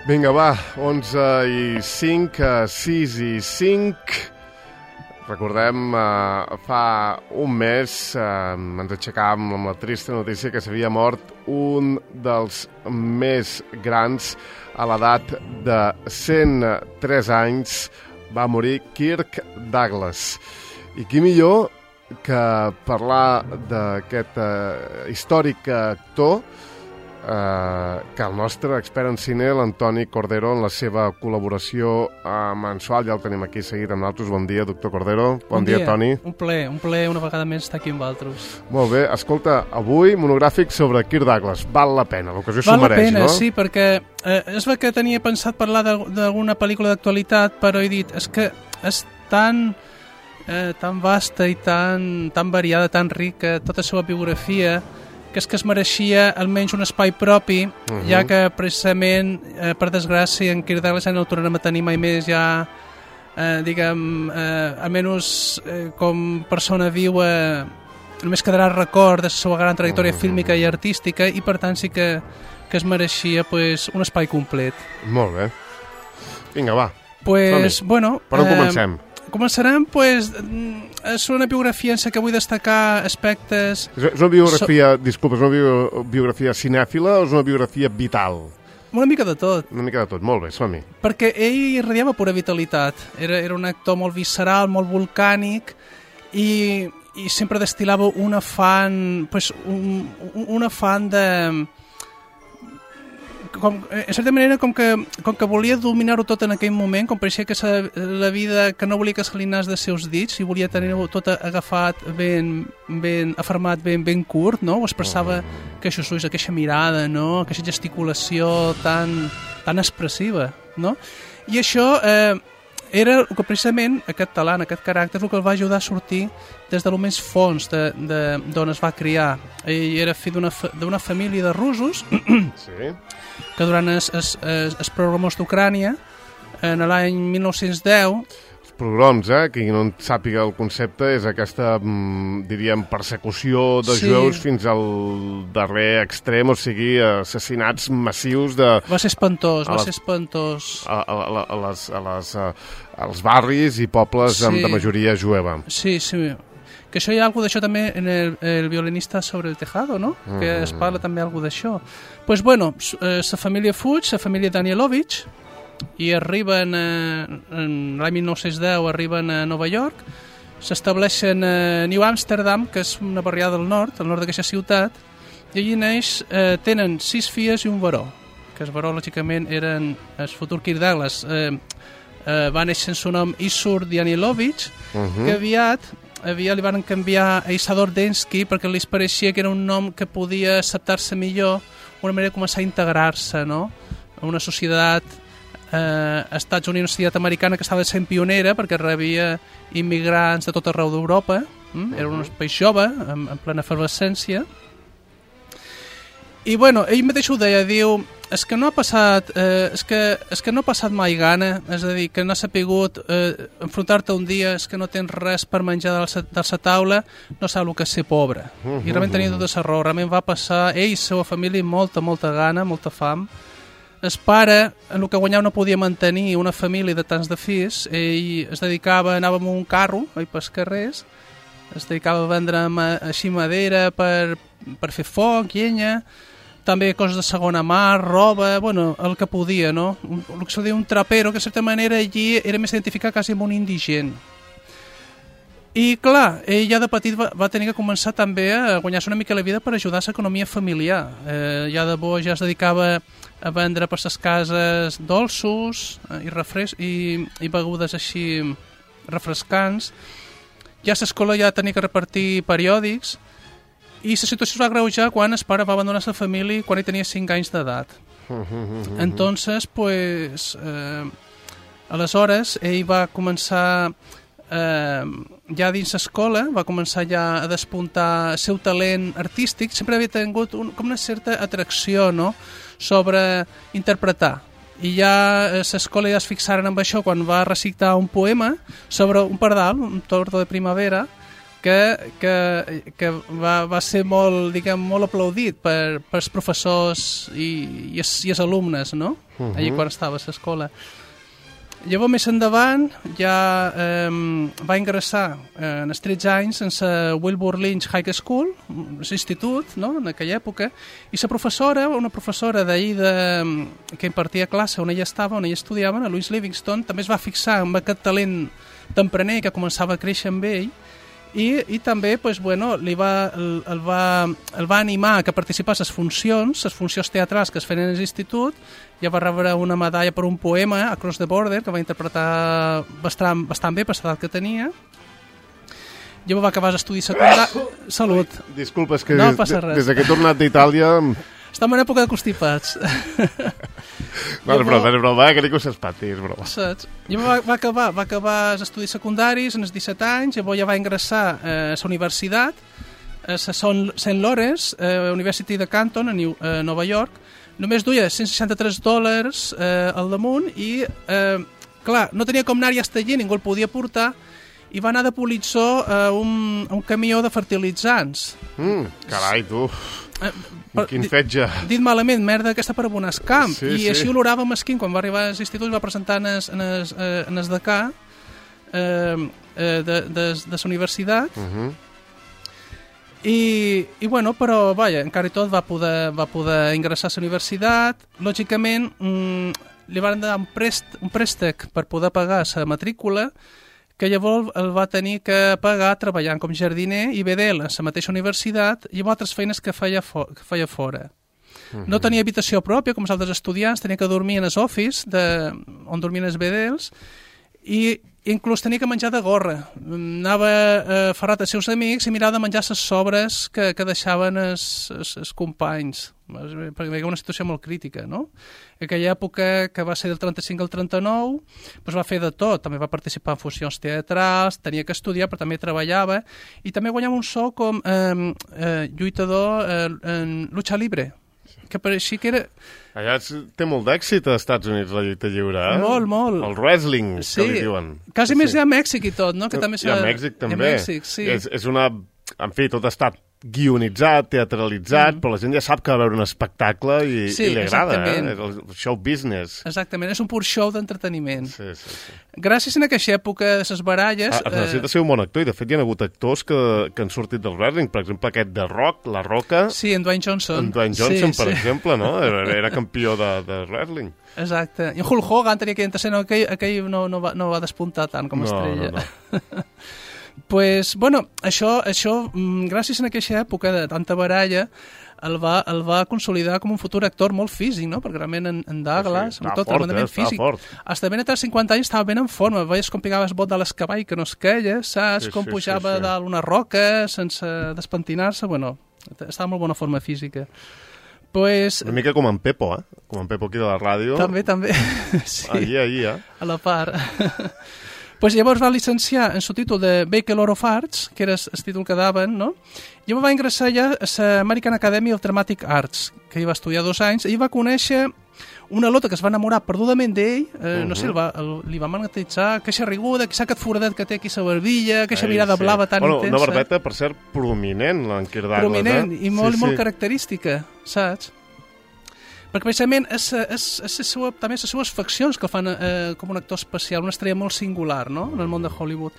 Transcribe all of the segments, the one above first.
Vinga, va, 11:05, 6:05. Recordem, fa un mes ens aixecàvem amb la trista notícia que s'havia mort un dels més grans a l'edat de 103 anys. Va morir Kirk Douglas. I qui millor que parlar d'aquest històric actor que el nostre expert en cine, l'Antoni Cordero, en la seva col·laboració mensual. Ja el tenim aquí seguit amb nosaltres. Bon dia, doctor Cordero. Bon dia, Toni. Un plaer una vegada més estar aquí amb vosaltres. Molt bé. Escolta, avui monogràfic sobre Kirk Douglas. Val la pena, l'ocasió s'ho mereix, no? Val la pena, sí, perquè és el que tenia pensat parlar d'alguna pel·lícula d'actualitat, però he dit, és que és tan vasta i tan variada, tan rica, tota la seva biografia, que és que es mereixia almenys un espai propi, ja que precisament, per desgràcia, en Kirk Douglas ja no el tornarem a tenir mai més, ja, almenys com persona viua, només quedarà record de la seva gran trajectòria fílmica i artística, i per tant sí que es mereixia un espai complet. Molt bé. Vinga, va. Bueno, per on comencem? Començarem, és una biografia en la que vull destacar aspectes... És una biografia, disculpa, és una biografia cinèfila o és una biografia vital? Una mica de tot. Una mica de tot, molt bé, som-hi. Perquè ell irradiava pura vitalitat. Era un actor molt visceral, molt volcànic, i sempre destil·lava un afany de... en certa manera, com que volia dominar-ho tot en aquell moment, com pareixia que la vida, que no volia que se li anés dels seus dits, i volia tenir-ho tot agafat ben afermat, ben curt, no? Ho expressava aquests ulls, aquesta mirada, no? Aquesta gesticulació tan expressiva, no? I això era el que precisament aquest talent, aquest caràcter, el que el va ajudar a sortir des de lo més fons d'on es va criar. Ell era fill d'una família de russos, sí, que durant els pogroms d'Ucrània, en l'any 1910... Els pogroms, qui no en sàpiga el concepte, és aquesta, diríem, persecució de jueus fins al darrer extrem, o sigui, assassinats massius de... Va ser espantós. Als barris i pobles de majoria jueva. Sí. Que això hi ha alguna d'això també en el violinista sobre el tejado, no? Que es parla també alguna d'això. Doncs, bueno, la família fuig, la família Danielovich, i arriben, en l'any 1910, arriben a Nova York, s'estableixen a New Amsterdam, que és una barriada del nord d'aquesta ciutat, i allí tenen 6 filles i un baró, que el baró, lògicament, eren el futur Kirk Douglas. Va néixer en el nom Isur Danielovich, que aviat li van canviar a Isador Densky perquè li pareixia que era un nom que podia acceptar-se millor, una manera de començar a integrar-se, no? A una societat, als Estats Units, una societat americana que estava sent pionera perquè rebia immigrants de tot arreu d'Europa, era un país jove, en plena efervescència. I bueno, ell mateix ho deia, diu, és que no ha passat mai gana, és a dir, que no ha sapigut enfrontar-te un dia, és que no tens res per menjar de la taula, no sap el que és ser pobre. I realment tenia tota la raó, realment va passar ell i la seva família molta gana, molta fam. El pare, en el que guanyava, no podia mantenir una família de tants de fills, ell es dedicava, anava amb un carro, pels carrers, es dedicava a vendre així madera per fer foc, llenya, també coses de segona mà, roba, bueno, el que podia, no? El que se diu un trapero, que de certa manera allí era més identificat quasi amb un indigent. I clar, ell ja de petit va tenir que començar també a guanyar-se una mica la vida per ajudar a l'economia familiar. Ja de bo ja es dedicava a vendre per les cases dolços i begudes així refrescants. Ja a l'escola ja tenia que repartir periòdics, i la situació es va agreujar quan el pare va abandonar la família quan ell tenia 5 anys d'edat. Entonces, aleshores, ell va començar ja dins l'escola, va començar ja a despuntar el seu talent artístic. Sempre havia tingut com una certa atracció, no?, sobre interpretar. I ja a l'escola ja es fixaren amb això quan va recitar un poema sobre un pardal, un tordo de primavera, que va ser molt, diguem, molt aplaudit pels professors i els alumnes, no? Allí quan estava a l'escola. Llavors, més endavant, ja va ingressar en els 13 anys en la Wilbur Lynch High School, l'institut, no?, en aquella època, i la professora, una professora d'ahir que impartia classe on ella estava, on ella estudiava, a Louise Livingston, també es va fixar en aquest talent tempraner que començava a créixer amb ell, i també pues, bueno, el va animar que participés a les funcions teatrals que es feien a l'institut. Ja va rebre una medalla per un poema, Across the Border, que va interpretar bastant bé per l'edat que tenia. Ja va acabar els estudis secundaris. Salut. Disculpa, és que no passa res. Des que he tornat d'Itàlia... Estem en època de constipats. No, és broma, que ningú s'espati, és broma. Saps? Llavors va acabar els estudis secundaris en els 17 anys, llavors ja va ingressar a la universitat, a la St. Lawrence University de Canton, a Nova York. Només duia $163 al damunt i, clar, no tenia com anar-hi hasta allí, ningú el podia portar, i va anar de politsó a un camió de fertilitzants. Carai, tu... Quin fetge. Dit malament, merda aquesta per abonar el camp. Sí, I així olorava mesquín. Quan va arribar a l'institut va presentar en el decà de la universitat. I bueno, però vaja, encara i tot va poder ingressar a la universitat. Lògicament li van dar un préstec per poder pagar la matrícula, que llavors el va tenir que pagar treballant com jardiner i vedel a la mateixa universitat i amb altres feines que feia fora. No tenia habitació pròpia, com els altres estudiants, tenia que dormir en els office on dormien els vedels i inclús tenia que menjar de gorra. Anava ferrat als seus amics i mirava de menjar les sobres que deixaven els companys, perquè hi havia una situació molt crítica, no? En aquella època, que va ser del 35 al 39, doncs va fer de tot. També va participar en funcions teatrals, tenia que estudiar, però també treballava, i també guanyava un sou com lluitador en lucha libre, que pareixia que era... Allà té molt d'èxit als Estats Units, la lluita lliure, eh? Molt, molt. El wrestling, sí, que li diuen. Quasi més hi ha Mèxic i tot, no? Que també hi ha Mèxic, també. Hi ha Mèxic, sí. És una... En fi, tot ha estat guionitzat, teatralitzat, però la gent ja sap que va veure un espectacle i li agrada, el show business. Exactament, és un pur show d'entreteniment. Sí. Gràcies a aquesta època de les baralles... Es necessita ser un bon actor, i de fet hi ha hagut actors que han sortit del wrestling, per exemple aquest de Rock, La Roca... Sí, en Dwayne Johnson. En Dwayne Johnson, per exemple, no? Era campió de wrestling. Exacte. I en Hulk Hogan tenia que entrar, aquell no va despuntar tant com a estrella. No. Pues, bueno, això gràcies a aquesta època de tanta baralla, el va consolidar com un futur actor molt físic, no? Perquè realment en Douglas, sí, estava fort. Hasta ben a 50 anys estava ben en forma, veies com picava el bot de l'escavall que no es queia, saps? Com pujava dalt una roca sense despentinar-se, bueno, estava en molt bona forma física. Pues... Una mica com en Pepo, eh? Com en Pepo aquí de la ràdio. També, sí. Allí, eh? A la part. Pues llavors va llicenciar en el títol de Bachelor of Arts, que era el títol que daven, no? Llavors va ingressar ja a l'American Academy of Dramatic Arts, que hi va estudiar 2 anys, i va conèixer una lota que es va enamorar perdudament d'ell, no sé, li va magnetitzar, queixa riguda, aquest foradet que té aquí a la barbilla, queixa mirada blava tan intensa. Una barbeta, per cert, prominent, l'Anquer Douglas. Prominent, i molt característica, saps? Perquè precisament també les seues faccions que el fan com un actor especial, una estrella molt singular, no?, en el món de Hollywood.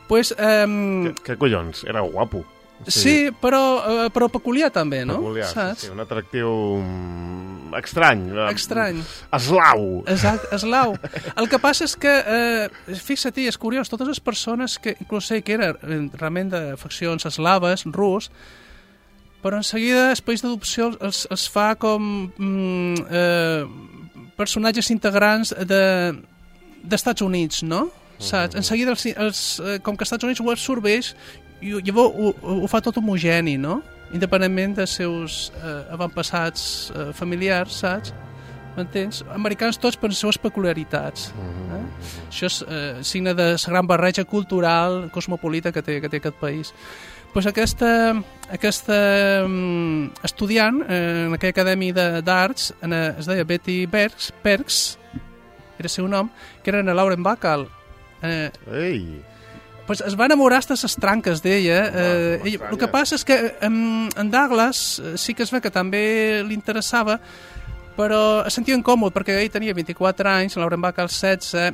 Pues, què collons? Era guapo. Sí, però peculiar també, no? Peculiar, saps? sí, un atractiu estrany. Estrany. Eslau. Exacte, eslau. El que passa és que, fixa-t'hi, és curiós, totes les persones que, inclús sé que eren realment de faccions eslaves, rus, però en seguida els països d'adopció els fa com personatges integrants d'Estats Units, no? Saps? En seguida, com que Estats Units ho absorbeix, i llavors ho fa tot homogeni, no? Independentment dels seus avantpassats familiars, saps? M'entens? Americans tots per les seves peculiaritats. Això és signe de la gran barreja cultural cosmopolita que té aquest país. Pues aquesta estudiant en aquella acadèmia d'arts es deia Betty Perks, era el seu nom, que era en Lauren Bacall. pues es va enamorar hasta les tranques d'ella. El que passa és que en Douglas sí que es ve que també li interessava, però es sentia incòmode perquè ell tenia 24 anys, Lauren Bacall 16,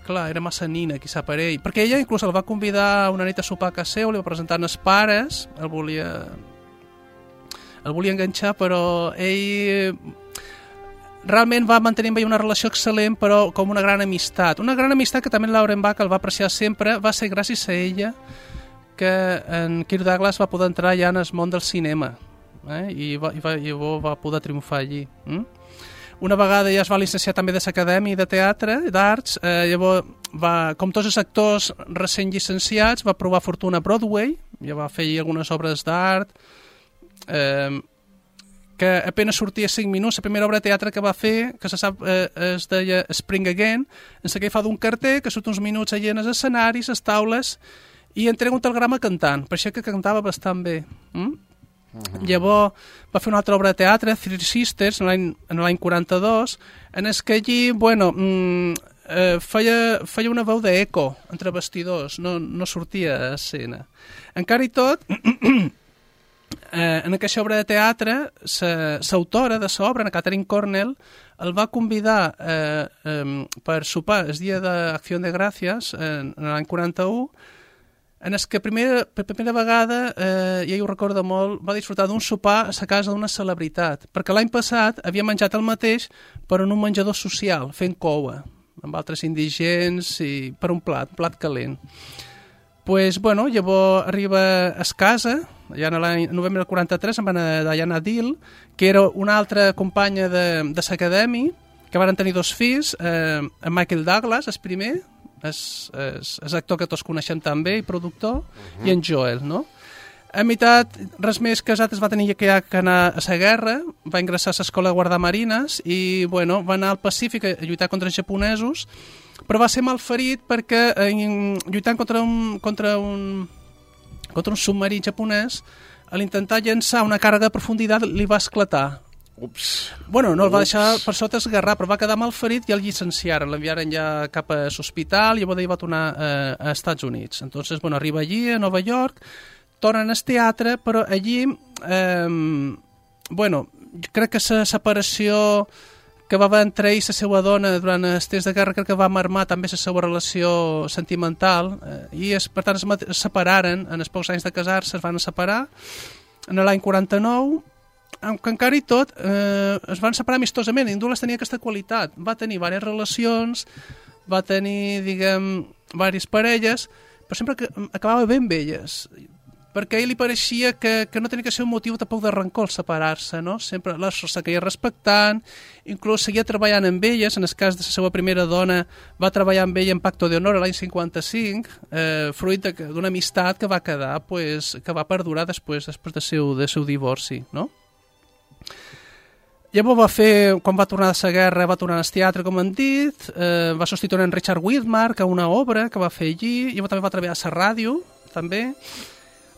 clar, era massa nina, quizà per ell, perquè ella inclús el va convidar una nit a sopar a casa seu, li va presentar els pares, el volia enganxar, però ell realment va mantenir amb ell una relació excel·lent, però com una gran amistat. Una gran amistat que també Lauren Bacall va apreciar sempre, va ser gràcies a ella que en Kirk Douglas va poder entrar ja en el món del cinema, i va poder triomfar allí. Una vegada ja es va llicenciar també de l'Acadèmia de Teatre, d'Arts, llavors, com tots els actors recent llicenciats, va provar fortuna a Broadway, ja va fer algunes obres d'art, que apenas sortia 5 minuts. La primera obra de teatre que va fer, que se sap, es deia Spring Again, en què fa d'un carter que surt uns minuts allà en els escenaris, les taules, i entrega un telegrama cantant, per això que cantava bastant bé. Llavors va fer una altra obra de teatre, Three Sisters, en l'any 42, en què allí, feia una veu d'eco entre vestidors, no sortia a escena. Encara i tot, en aquesta obra de teatre, l'autora de l'obra, Catherine Cornell, el va convidar per sopar el dia d'Acció de Gràcies, en l'any 41, en què per primera vegada, i ell ho recorda molt, va disfrutar d'un sopar a la casa d'una celebritat, perquè l'any passat havia menjat el mateix però en un menjador social, fent coua, amb altres indigents, i per un plat calent. Llavors arriba a casa, ja en l'any novembre del 43, amb Diana Dill, que era una altra companya de l'Acadèmia, que van tenir 2 fills, en Michael Douglas, el primer, és actor que tots coneixem també, i productor, i en Joel, no? A meitat, res més casat, es va tenir que anar a la guerra, va ingressar a l'escola de guardamarines i, va anar al Pacífic a lluitar contra els japonesos, però va ser malferit perquè lluitant contra un submarí japonès, a l'intentar llançar una càrrega de profunditat li va esclatar. Ups. No el va deixar per sota esgarrar, però va quedar malferit i el llicenciaren, l'enviaren ja cap a l'hospital i llavors ell va tornar a Estats Units. Entonces, arriba allí, a Nova York, tornen al teatre, però allí, crec que la separació que va haver entre ell i la seva dona durant els temps de guerra, crec que va marmar també la seva relació sentimental, i per tant es separaren, en els pocs anys de casar-se es van separar, en l'any 49, que encara i tot es van separar amistosament, i Douglas tenia aquesta qualitat, va tenir diverses relacions, va tenir, diverses parelles, però sempre acabava ben elles, perquè a ell li pareixia que no tenia que ser un motiu tampoc de rancor separar-se, no? Sempre les seguia respectant, inclús seguia treballant amb elles, en el cas de la seva primera dona va treballar amb ella en Pacto de Honor l'any 55, fruit d'una amistat que va quedar, que va perdurar després del seu divorci, no? Llavors quan va tornar de la guerra, va tornar al teatre, com hem dit, va substituir en Richard Widmark a una obra que va fer allí, llavors també va treballar a la ràdio, també,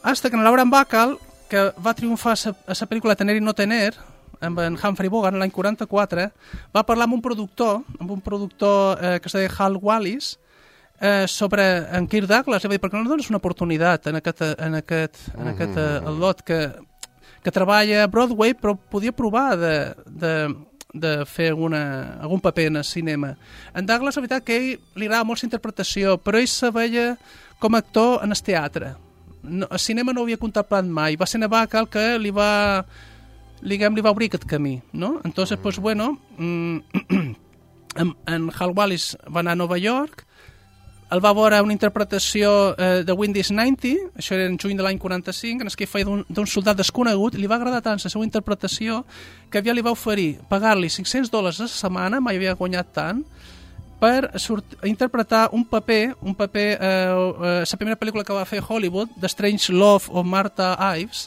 hasta que en Lauren Bacall, que va triomfar a la pel·lícula Tener i no tener, amb en Humphrey Bogart l'any 44, va parlar amb un productor que es deia Hal Wallis, sobre en Kirk Douglas, i va dir, per què no dones una oportunitat en aquest lot que treballa a Broadway, però podia provar de fer algun paper en el cinema. En Douglas, la veritat que a ell li agrada molt la interpretació, però ell se veia com a actor en el teatre. El cinema no ho havia contemplat mai. Va ser en Bacall que li va obrir aquest camí, no? Entonces, en Hal Wallis va anar a Nova York, el va veure una interpretació de Windows 90, això era en juny de l'any 45, en què feia d'un soldat desconegut, i li va agradar tant la seva interpretació que aviat li va oferir pagar-li $500 a la setmana, mai havia guanyat tant, per interpretar un paper, la primera pel·lícula que va fer Hollywood, The Strange Love of Martha Ives,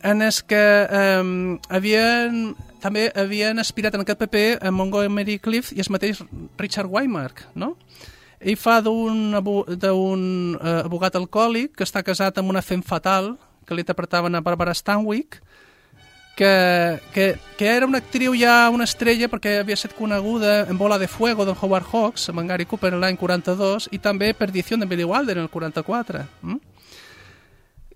en què també havien aspirat en aquest paper a Montgomery Clift i el mateix Richard Widmark, no? Ell fa d'un abogat alcohòlic que està casat amb una femme fatal que li interpretaven a Barbara Stanwyck, que era una actriu ja una estrella perquè havia estat coneguda en Bola de Fuego d'en Howard Hawks, amb en Gary Cooper l'any 42, i també Perdición de Billy Wilder en el 44.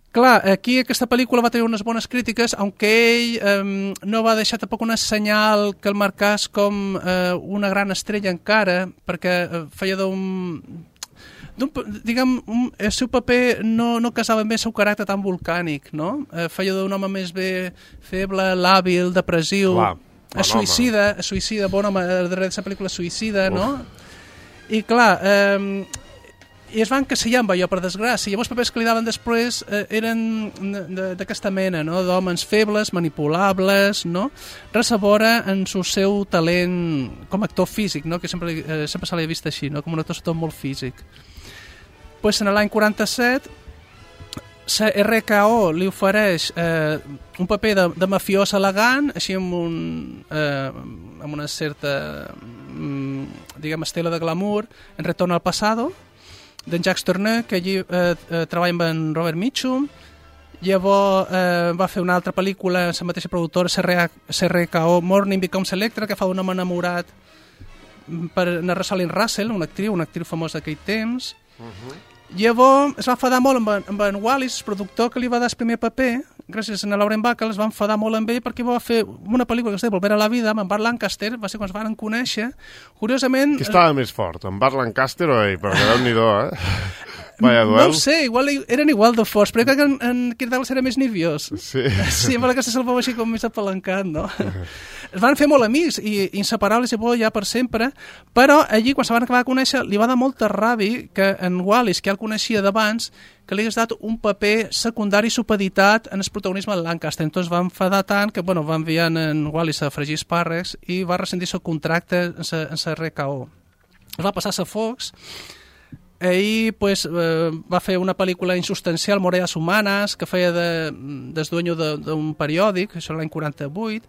Clar, aquí aquesta pel·lícula va tenir unes bones crítiques, aunque ell no va deixar tampoc una senyal que el marcàs com una gran estrella encara, perquè feia el seu paper no casava amb el seu caràcter tan volcànic, no? Feia d'un home més bé feble, làbil, depressiu, suïcida, bon home, darrere d'aquesta pel·lícula suïcida, no? I clar, i es van encasillar amb allò, per desgràcia. Llavors els papers que li daven després eren d'aquesta mena, no? D'homes febles, manipulables, no? Res a veure en el seu talent com a actor físic, no? Que sempre se l'ha vist així, no? Com un actor molt físic. Pues en l'any 47 RKO li ofereix un paper de mafiós elegant, així amb una certa estela de glamour, en Retorno al Pasado, d'en Jacques Tourneur, que allí treballa amb en Robert Mitchum. Llavors va fer una altra pel·lícula amb la mateixa productora, CRKO, Morning Becomes Electra, que fa d'un home enamorat per narrar Rosalind Russell, una actriu famosa d'aquell temps. Llavors es va enfadar molt amb en Wallis, el productor que li va dar el primer paper, gràcies a Lauren Bacall, es va enfadar molt amb ell perquè va fer una pel·lícula que es deia Volver a la vida, amb en Burt Lancaster, va ser quan es van conèixer. Curiosament... Qui estava més fort, en Burt Lancaster o ell? Perquè Déu-n'hi-do, Vaya duel. No ho sé, eren igual de forts, però crec que en Kirk Douglas era més nerviós. Sí. Sí, amb la que se'l veu així com més apalancat, no? Es van fer molt amics i inseparables ja per sempre, però allí, quan se van acabar de conèixer, li va dar molta ràbia que en Wallis, que ja el coneixia d'abans, que li hagués dat un paper secundari supeditat en el protagonisme de Lancaster. Entonces va enfadar tant que va enviar en Wallis a fregir espàrrecs i va rescindir el contracte en la RKO. Es va passar a Fox. Ell va fer una pel·lícula insubstancial, Moreas Humanes, que feia del dueño d'un periòdic, això l'any 48.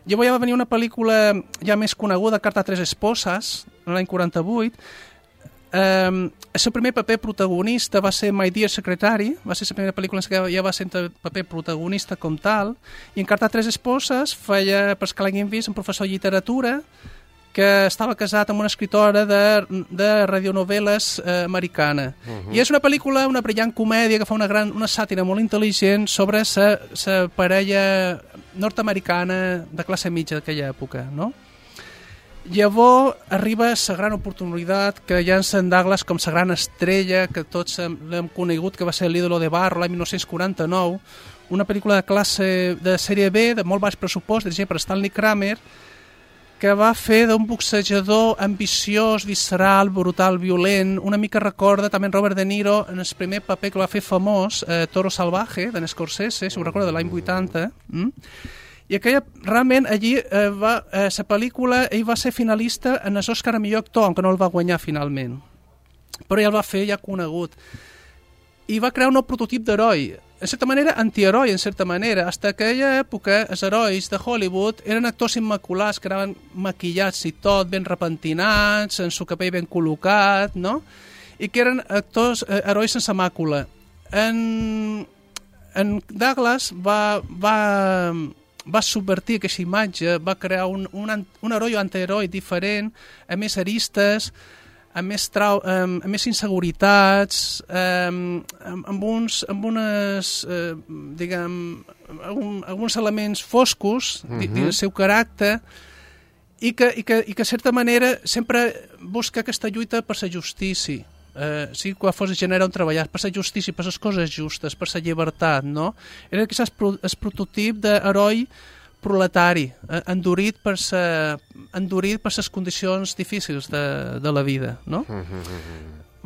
Llavors ja va venir una pel·lícula ja més coneguda, Carta a tres esposes, l'any 48. El seu primer paper protagonista va ser My Dear Secretary, va ser la primera pel·lícula en què ja va ser paper protagonista com tal, i en Carta a tres esposes feia, per que l'haguin vist, un professor de literatura, que estava casat amb una escritora de radionovel·les americana. I és una pel·lícula, una brillant comèdia que fa una sàtira molt intel·ligent sobre la parella nord-americana de classe mitja d'aquella època, no? Llavors arriba la gran oportunitat que hi ha en Douglas com la gran estrella que tots l'hem conegut, que va ser l'Ídolo de Barro l'any 1949, una pel·lícula de classe de sèrie B, de molt baix pressupost, dirigida per Stanley Kramer, que va fer d'un boxejador ambiciós, visceral, brutal, violent. Una mica recorda també en Robert De Niro en el primer paper que va fer famós, Toro Salvaje, d'en Scorsese, si ho recorda, de l'any 80. I aquella, realment, allí, la pel·lícula, ell va ser finalista en els Oscar a millor actor, aunque no el va guanyar finalment. Però ja el va fer, ja conegut. I va crear un nou prototip d'heroi, en certa manera antiheroi, en certa manera. Fins a aquella època, els herois de Hollywood eren actors immaculats, que anaven maquillats i tot, ben repentinats, amb el cabell ben col·locat, no? I que eren actors, herois sense màcula. En Douglas va subvertir aquesta imatge, va crear un heroi o antiheroi diferent, amb més aristes, amb més inseguretats, amb alguns elements foscos del seu caràcter i que, de certa manera, sempre busca aquesta lluita per la justícia. Sí, quan fos gènere on treballar, per la justícia, per les coses justes, per la llibertat, no? Era el prototip d'heroi proletari, endurit per les condicions difícils de la vida, no?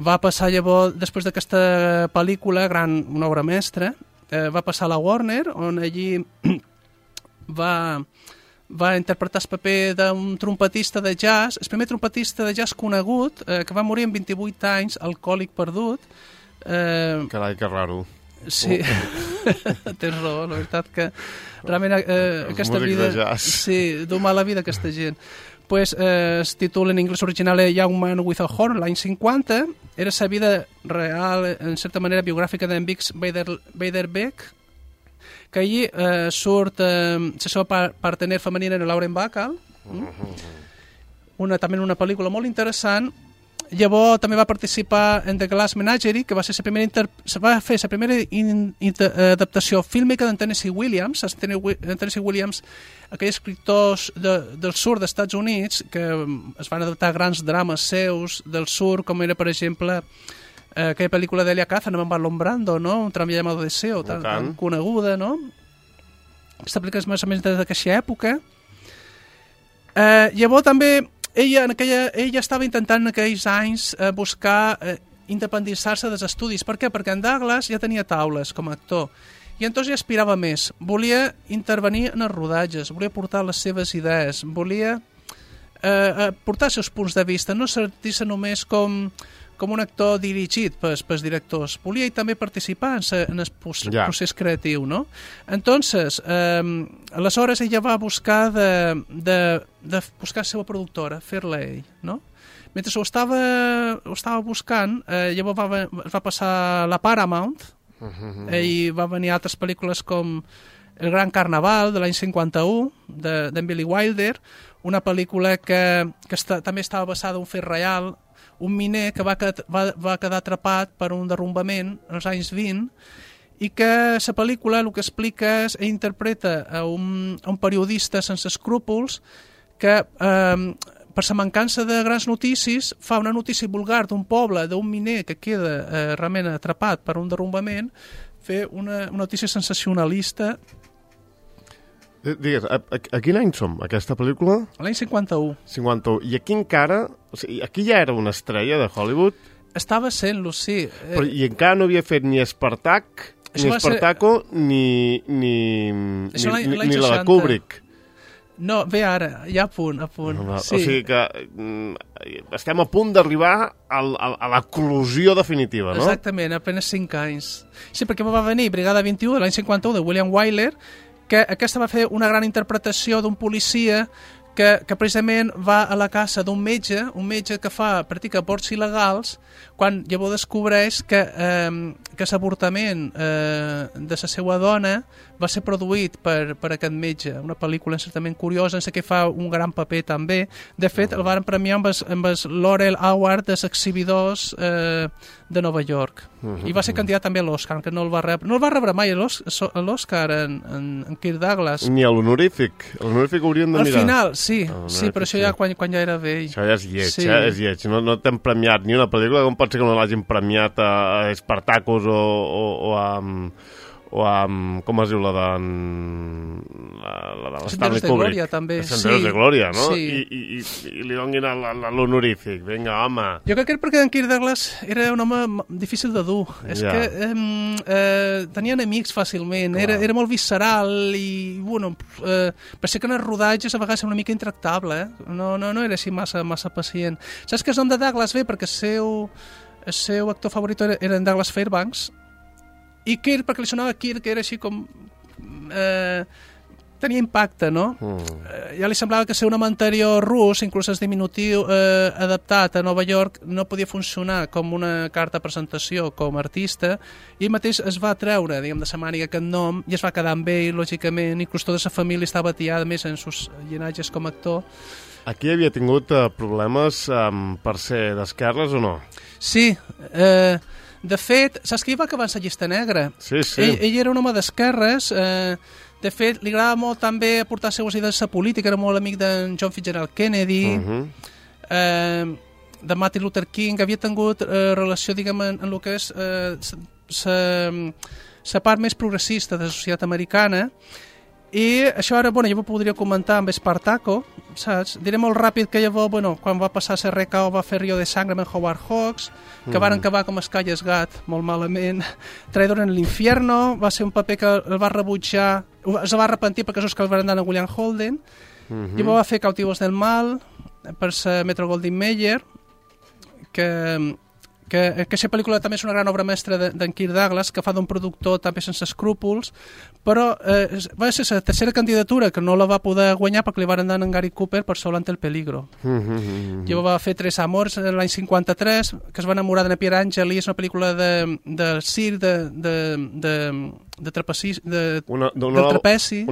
Va passar llavors, després d'aquesta pel·lícula, una obra mestra, va passar a la Warner, on allí va interpretar el paper d'un trompetista de jazz, el primer trompetista de jazz conegut, que va morir amb 28 anys, alcohòlic perdut. Carai, que raro. Sí, tens raó, la veritat que realment aquesta vida... Sí, du mala vida aquesta gent. El títol en anglès original era Young Man with a Horn, l'any 50. Era la vida real, en certa manera biogràfica d'en Bix Beiderbecke, que allí surt la seva partener femenina en Lauren Bacall, també una pel·lícula molt interessant. Llavors també va participar en The Glass Menagerie, que va fer la primera adaptació fílmica d'en Tennessee Williams. En Tennessee Williams, aquells escriptors del sud dels Estats Units que es van adaptar grans drames seus del sud, com era, per exemple, aquella pel·lícula d'Elia Kazan amb Marlon Brando, no? Un tram llamado Deseo, tan coneguda, no? Aquesta pel·lícula és més o menys d'aquesta època. Llavors també ella estava intentant en aquells anys buscar independitzar-se dels estudis. Per què? Perquè en Douglas ja tenia taules com a actor i entonces ja aspirava més. Volia intervenir en els rodatges, volia portar les seves idees, volia portar els seus punts de vista, no sentir-se només com un actor dirigit pels directors. Volia també participar en el procés creatiu, no? Entonces, aleshores ella va buscar de buscar la seva productora, fer-la ell, no? Mentre ho estava buscant, llavors es va passar a la Paramount i va venir altres pel·lícules com El Gran Carnaval, de l'any 51, d'en Billy Wilder, una pel·lícula que també estava basada en un fet real, un miner que va quedar atrapat per un derrumbament als anys 20 i que la pel·lícula el que explica és interpreta a un periodista sense escrúpols que per la mancança de grans notícies fa una notícia vulgar d'un poble, d'un miner que queda realment atrapat per un derrumbament, fer una notícia sensacionalista. Digues, a quin any som, aquesta pel·lícula? L'any 51. 51. I aquí encara... O sigui, aquí ja era una estrella de Hollywood? Estava sent-lo, sí. Però, i encara no havia fet ni Espartaco, ni la de Kubrick. No, bé ara, ja a punt. Sí. O sigui que estem a punt d'arribar a l'eclosió definitiva, no? Exactament, apenas 5 anys. Sí, perquè va venir Brigada 21, de l'any 51, de William Wyler, que aquesta va fer una gran interpretació d'un policia que precisament va a la casa d'un metge, un metge que practica aborts il·legals, quan llavors descobreix que l'avortament de la seva dona va ser produït per aquest metge. Una pel·lícula certament curiosa, en què fa un gran paper també. De fet, el van premiar amb el Laurel Award dels exhibidors de Nova York. I va ser candidat també a l'Oscar, que no el va rebre. No el va rebre mai a l'Oscar en Kirk Douglas. Ni a l'honorífic. L'honorífic hauríem de mirar. Al final, sí, però això ja quan ja era vell. Això ja és lleig, és lleig. No t'hem premiat ni una pel·lícula, com pot ser que no l'hagin premiat a Espartacus o a com es diu la de Senderos de Glòria, també. Senderos de Glòria, no? Sí. I li donin l'honorífic. Vinga, home. Jo crec que perquè en Kirk Douglas era un home difícil de dur. És que tenia enemics fàcilment. Era molt visceral i, bueno, per ser que en els rodatges a vegades era una mica intractable. No era així massa pacient. Saps que el nom de Douglas ve perquè el seu actor favorit era en Douglas Fairbanks, i Kirk, perquè li sonava Kirk, que era així com... tenia impacte, no? Ja li semblava que ser un home anterior rus, inclús el diminutiu adaptat a Nova York, no podia funcionar com una carta de presentació com a artista, i ell mateix es va treure, diguem, de sa màniga aquest nom, i es va quedar amb ell, lògicament, inclús tota la família estava atiada més en sus llinatges com a actor. Aquí havia tingut problemes per ser d'esquerres o no? Sí, de fet, saps que ell va acabar en la llista negra? Sí. Ell era un home d'esquerres, de fet, li agradava molt també aportar les seues idees a la política, era molt amic d'en John Fitzgerald Kennedy, de Martin Luther King, havia tingut relació, diguem, en el que és la part més progressista de la societat americana, i això ara, bueno, jo ho podria comentar amb Espartaco, saps? Diré molt ràpid que llavors, bueno, quan va passar a RKO va fer Rio de Sangre amb Howard Hawks, que van acabar com Escalles Gat, molt malament. Traidor en l'Infierno, va ser un paper que el va rebutjar, es va arrepentir perquè és que el van anar a William Holden, llavors va fer Cautivos del Mal, per ser Metro-Goldwyn-Mayer, que que aquesta pel·lícula també és una gran obra mestra d'en Kirk Douglas, que fa d'un productor també sense escrúpols, però va ser la tercera candidatura que no la va poder guanyar perquè li van dar en Gary Cooper per Solo ante el peligro. Llavors va fer Tres amors l'any 53, que es va enamorar de Pierre Angeli, és una pel·lícula de circ, de trapeci. Una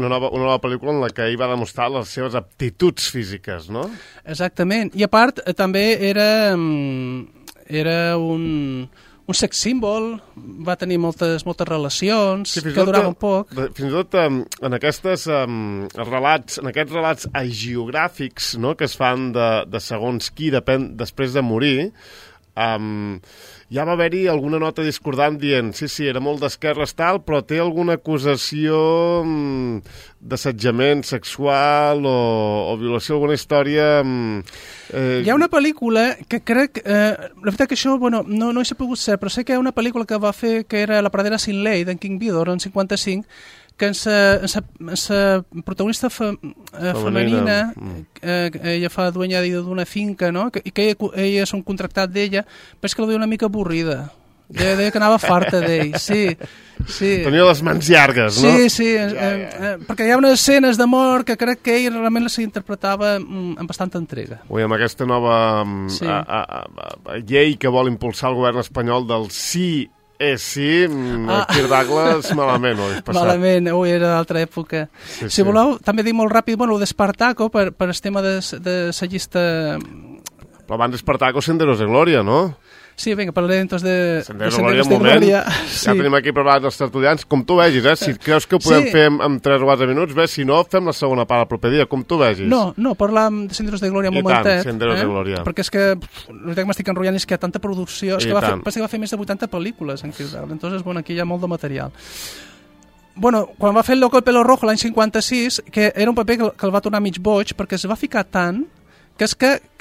nova pel·lícula en la que ell va demostrar les seves aptituds físiques, no? Exactament. I a part, també era un sex símbol, va tenir moltes relacions, sí, que duraven poc. Fins i tot en aquests relats hagiogràfics, no?, que es fan de segons qui després de morir, ja va haver-hi alguna nota discordant dient sí, era molt d'esquerres tal, però té alguna acusació d'assetjament sexual o violació, alguna història... Hi ha una pel·lícula que crec... la veritat que això, no hi s'ha pogut ser, però sé que hi ha una pel·lícula que va fer que era La pradera sin ley, d'en King Vidor, en 55, que en la protagonista femenina, ella fa dueña d'una finca, no?, i que ella és un contractat d'ella, però és que la veia una mica avorrida. Deia que anava farta d'ell, sí. Tenia les mans llargues, no? Sí, perquè hi ha unes escenes d'amor que crec que ell realment les interpretava amb bastanta entrega. Ui, amb aquesta nova llei que vol impulsar el govern espanyol del sí Kirk Douglas malament ho has passat. Malament, era d'altra època. Si voleu, també dic molt ràpid, el d'Espartaco, per el tema de la llista... Però abans d'Espartaco, Senderos de Glòria, no? Sí, vinga, parlaré entonces de Senderos de Glòria. Ja tenim aquí preparats els tertulians. Com tu vegis, si creus que ho podem fer en 3 o 4 minuts, si no, fem la segona part el proper dia, com tu vegis. No, parlem de Senderos de Glòria un momentet. I tant, Senderos de Glòria. Perquè és que, el que m'estic enrotllant és que hi ha tanta producció, és que va fer més de 80 pel·lícules en Kirk Douglas, entonces, aquí hi ha molt de material. Quan va fer El loco del pelo rojo l'any 56, que era un paper que el va tornar mig boig, perquè es va ficar tant que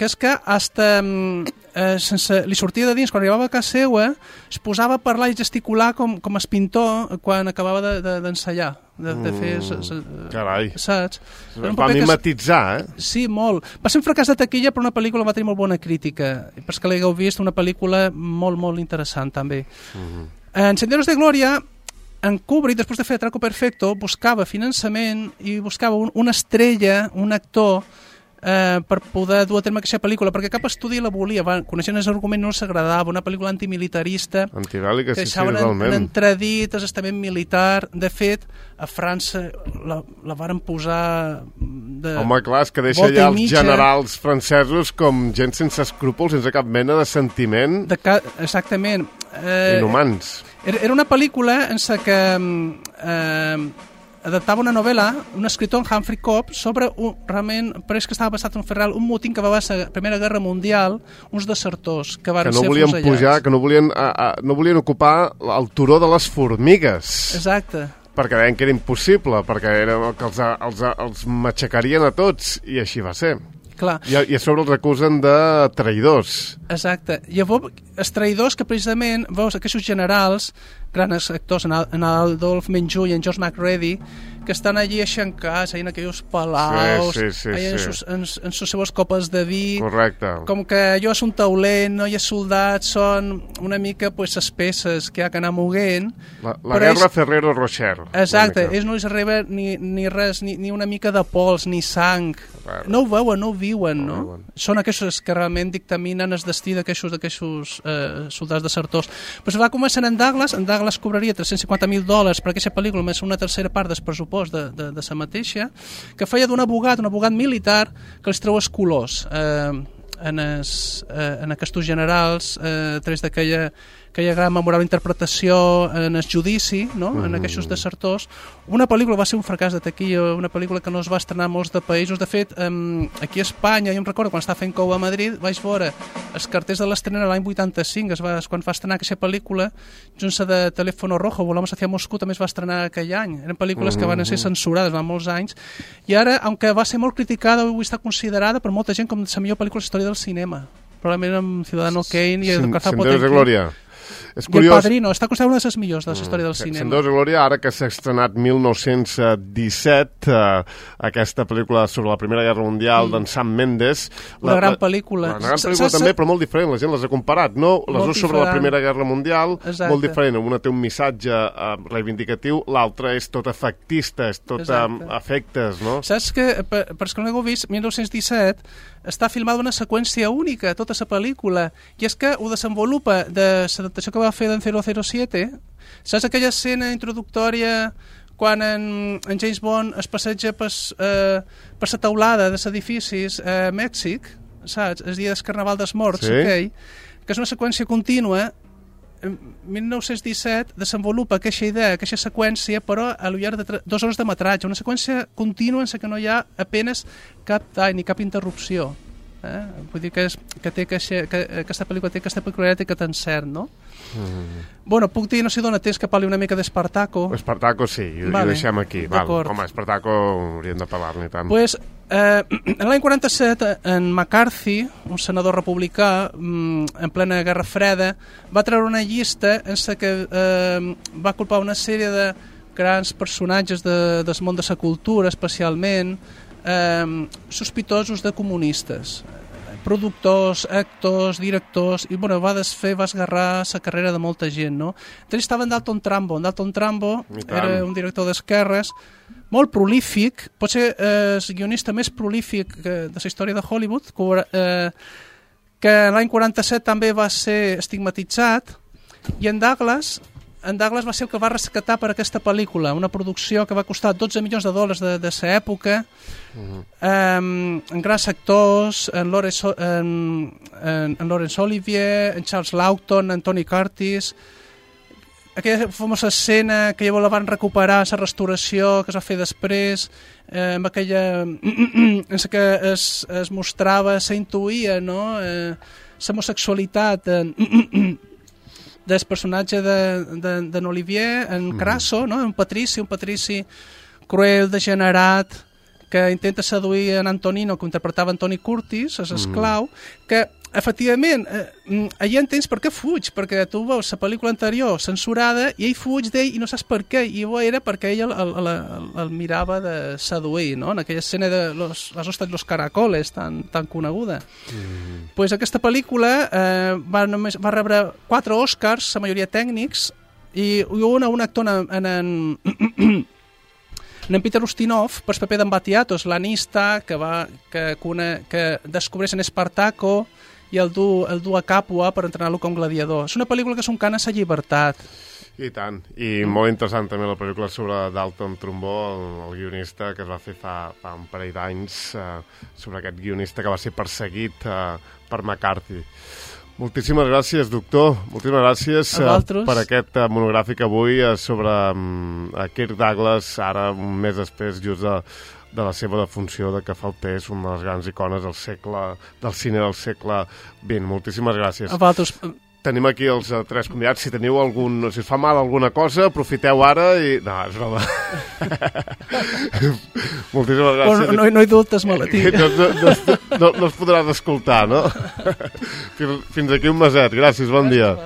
és que hasta li sortia de dins, quan arribava a casa seva, es posava a parlar i gesticular com es pintor quan acabava d'ensaiar, de fer... Carai. Saps? Va mimetitzar, Sí, molt. Va ser un fracàs de taquilla, però una pel·lícula va tenir molt bona crítica. I per que l'hagueu vist, una pel·lícula molt, molt interessant, també. En Senderos de Glòria, en Kubrick, després de fer Atraco Perfecto, buscava finançament i buscava una estrella, un actor, per poder dur a terme aquesta pel·lícula, perquè cap estudi la volia, coneixent el argument no els agradava, una pel·lícula antimilitarista, antibèl·lica, que deixaven en entredit estament militar. De fet, a França la varen posar home, clar, és que deixa ja els generals francesos com gent sense escrúpols, sense cap mena de sentiment. Exactament. Inhumans. Era una pel·lícula en la que adaptava una novel·la, un escritor, Humphrey Cobb, sobre, realment, pareix que estava basat en un fet real, un motín que va haver la Primera Guerra Mundial, uns desertors que van ser afusellats. Que no volien ocupar el turó de les formigues. Exacte. Perquè deien que era impossible, perquè que els matxacarien a tots, i així va ser. Clar. I a sobre els acusen de traïdors. Exacte. Llavors, els traïdors que precisament, veus, aquests generals, grans actors, en Adolf Menjou i en George McReady, que estan allí aixencats, en aquells palaus, en les seves copes de vi. Correcte. Com que allò és un taulent, no hi ha soldats, són una mica les peces que hi ha que anar moguent. La guerra Ferrero-Rocher. Exacte, ells no els arriba ni res, ni una mica de pols, ni sang. No ho veuen, no ho viuen, no? Són aquests que realment dictaminen el destí d'aquests soldats desertors. Però va començar en Douglas cobraria $350,000 per aquesta pel·lícula, més una tercera part del pressupost de la mateixa, que feia d'un abogat, un abogat militar, que els treu els colors en aquests generals, a través d'aquella gran memorable interpretació en el judici, no? En aquests desertors. Una pel·lícula va ser un fracàs de taquilla, una pel·lícula que no es va estrenar a molts de països. De fet, aquí a Espanya, jo em recordo quan estava fent cou a Madrid, vaig veure els cartells de l'estrena l'any 85, quan va estrenar aquesta pel·lícula, junts de Teléfono Rojo, Volamos hacia Moscú, també es va estrenar aquell any. Eren pel·lícules que van ser censurades fa molts anys, i ara, aunque va ser molt criticada, avui està considerada per molta gent com la millor pel·lícula de la història del cinema. Probablement amb Ciudadano Kane i el Carzapo Senderos de Glòria. És I curiós... El Padrino, està considerat una de les millors de la història del cinema. Se'n Déu i glòria, ara que s'ha estrenat 1917, aquesta pel·lícula sobre la Primera Guerra Mundial d'en Sam Mendes. Una gran pel·lícula. Una gran pel·lícula també, però molt diferent, la gent les ha comparat, no? Les dues sobre la Primera Guerra Mundial, exacte, molt diferent. Una té un missatge reivindicatiu, l'altra és tot efectista, és tot efectes, no? Saps que, per als que no l'heu vist, 1917 està filmada una seqüència única, tota la pel·lícula, i és que ho desenvolupa de l'adaptació que va fer d'en 007. Saps aquella escena introductòria quan en James Bond es passeja per la teulada dels edificis a Mèxic, saps? El dia del Carnaval dels Morts, sí, okay? Que és una seqüència contínua. En 1917 desenvolupa aquesta idea, aquesta seqüència, però a lo llarg de 2 hores de metratge, una seqüència contínua en la que no hi ha apenas cap tall ni cap interrupció. Vull dir que aquesta pel·lícula té aquesta peculiaritat que t'encert, no? Bueno, puc dir, no sé d'on temps que parli una mica d'Espartaco. Espartaco sí, ho deixem aquí. Home, Espartaco hauríem de parlar-ne tant. Pues, en l'any 47, en McCarthy, un senador republicà, en plena Guerra Freda, va treure una llista en la que va culpar una sèrie de grans personatges del món de la cultura, especialment, sospitosos de comunistes, productors, actors, directors, i bueno, va esgarrar la carrera de molta gent, no? Entre ells estava en Dalton Trumbo. En Dalton Trumbo era un director d'esquerres molt prolífic, potser el guionista més prolífic de la història de Hollywood, que l'any 47 també va ser estigmatitzat, i en Douglas va ser el que va rescatar per aquesta pel·lícula, una producció que va costar $12 milions de l'època, en grans actors, en Laurence Olivier, en Charles Laughton, en Tony Curtis. Aquella famosa escena que ja la van recuperar, la restauració que es va fer després, amb aquella en què es mostrava, s'intuïa, no? L'homosexualitat del personatge d'en Olivier, en Crasso, no? un patrici cruel, degenerat, que intenta seduir en Antonino, que interpretava Tony Curtis, l'esclau, que efectivament allà entens per què fuig, perquè tu veus la pel·lícula anterior censurada i ell fuig d'ell i no saps per què, i era perquè ell el mirava de seduir, no? En aquella escena de las ostras de los caracoles tan coneguda. Pues aquesta pel·lícula va rebre 4 Oscars, la majoria tècnics, i un actor en Peter Ustinov, per el paper d'en Batiatos, l'anista que descobreix en Espartaco i el du a Capua per entrenar-lo com gladiador. És una pel·lícula que és un cant a la llibertat. I tant. I molt interessant també la pel·lícula sobre Dalton Trumbo, el guionista que es va fer fa un parell d'anys, sobre aquest guionista que va ser perseguit per McCarthy. Moltíssimes gràcies, doctor. Moltíssimes gràcies per aquest monogràfic avui sobre Kirk Douglas, ara un mes després, just de la seva defunció, de que fa el pes, una de les grans icones del cine del segle XX. Moltíssimes gràcies. A vosaltres. Tenim aquí els 3 convidats. Si teniu si us fa mal alguna cosa, aprofiteu ara i... No, és broma. Moltíssimes gràcies. No hi dubtes, Malatí. No es podràs escoltar, no? Fins aquí un meset. Gràcies, bon dia.